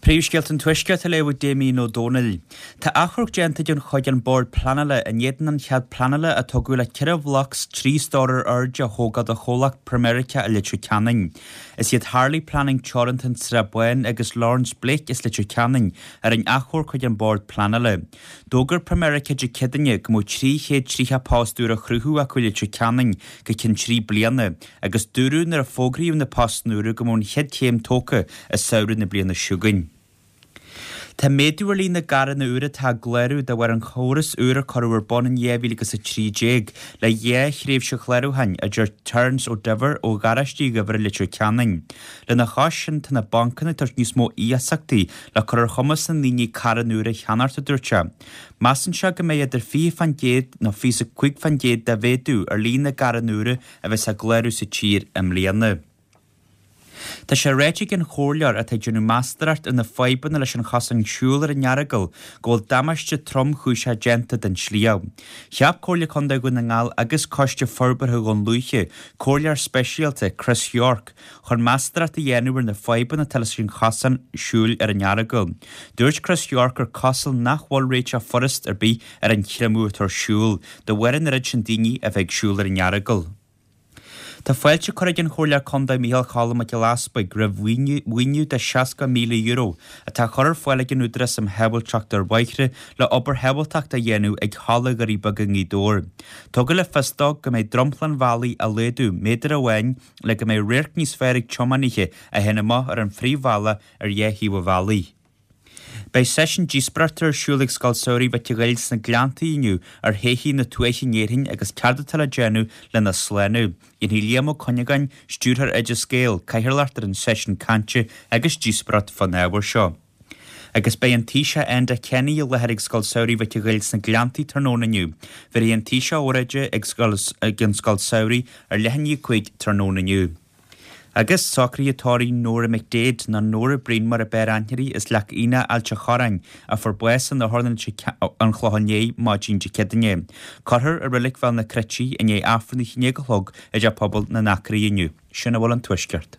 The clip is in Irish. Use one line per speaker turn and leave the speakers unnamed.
Príomhscéalta an Tuaiscirt á léamh ag Damien Ó Dónaill. Tá achomharc déanta ag an chuig an Bord Pleanála in éadan an chead pleanála a tugadh le 4 bhloc 3 stór ar airde a thógáil do chomhlacht Pramerica i Leitir Ceanainn. Is iad Harley Planning Teoranta an tSrath Báin agus Lawrence Blake as Leitir Ceanainn a rinne achomharc chuig an Bord Pleanála. D'fhógair Pramerica Dé Céadaoine go mbeadh 330 post úr á chruthú acu i Leitir Ceanainn go ceann 3 bliana agus dúradh nuair a fógraíodh na poist úra go mbeadh an chéad chéim tógtha i samhradh na bliana seo chugainn. Tá méadú ar líon na gcarranna úra atá á gclárú de bharr an chóras úr a cuireadh ar bun in 2013 le 2 thréimhse chlárúcháin, a deir Terence Ó Duibhir ó Gharáiste Uí Dhuibhir i Leitir Ceanainn. Lena chois sin, tá na bancanna ag tabhairt níos mó iasachtaí le cur ar chumas na ndaoine carranna úra a cheannacht, a dúirt sé. Measann sé go mbeidh idir 20% nó 25% de mhéadú ar líon na gcarranna úra a bheas á gclárú sa tír i mbliana. Tá sé ráite ag an chomhairleoir atá ag déanamh meastóireacht ar na fadhbanna leis an chosán siúil ar an Earagail go bhfuil damáiste tromchúiseach déanta don sliabh. Cheap Comhairle Contae Dhún na nGall agus Coiste Forbartha Dhún Lúiche comhairleoir speisialta, Chris York, chun meastóireacht a dhéanamh ar na fadhbanna atá leis an chosán siúil ar an Earagail. Dúirt Chris York gur cosúil nach bhfuil réiteach furast ar bith ar an chreimeadh atá ar siúl, de bharr an oiread sin daoine a bheith ag siúl ar an Earagail. Tá fáilte curtha ag an Chomhairleoir Contae Micheál Cholm Mac Giolla Easbuig roimh mhaoiniú de €60,000 atá á chur ar fáil ag an Údarás um Shábháilteacht ar Bhóithre le obair shábháilteachta a dhéanamh ag Halla Dhoirí Beaga i nGaoth Dobhair. Tugadh le fios dó go mbeidh dromchla an bhealaigh á laghdú méadar amháin le go mbeidh radharc níos fearr ag tiománaithe a théann amach ar an phríomhbhealach ar dhá thaobh an bhealaigh. Beidh seisiún díospóireachta ar siúl ag Scoil Samhraidh Mhic a' Ghoill sna Gleanntaí inniu ar shoithí na tuaithe in Éirinn agus céard atá le déanamh lena slánú. Dhéanfaidh Liam Ó Cuinneagáin, Stiúrthóir Oideas Gael, cathaoirleacht ar an seisiún cainte agus díospóireacht fán ábhar seo. Agus beidh an Taoiseach Enda Kenny i láthair ag Scoil Samhraidh Mhic a' Ghoill sna Gleanntaí tráthnóna inniu. Bhéarfaidh an Taoiseach óráid ag an Scoil Samhraidh ar leath i ndiaidh 5 tráthnóna inniu. Agus socruithe tórraimh Nóra McDaid, nó Nóra Breen mar ab fhearr aithne uirthi, as Leac Aoine, Ailt a' Chorráin, a fuair bás in Otharlann an Chlocháin Léith maidin Dé Céadaoine. Cuirfear i Reilig Bhéal na Cruite í i ndiaidh Aifreann a haon déag a chlog i dTeach Pobail na nAcraí inniu. Sin a bhfuil ón Tuaisceart.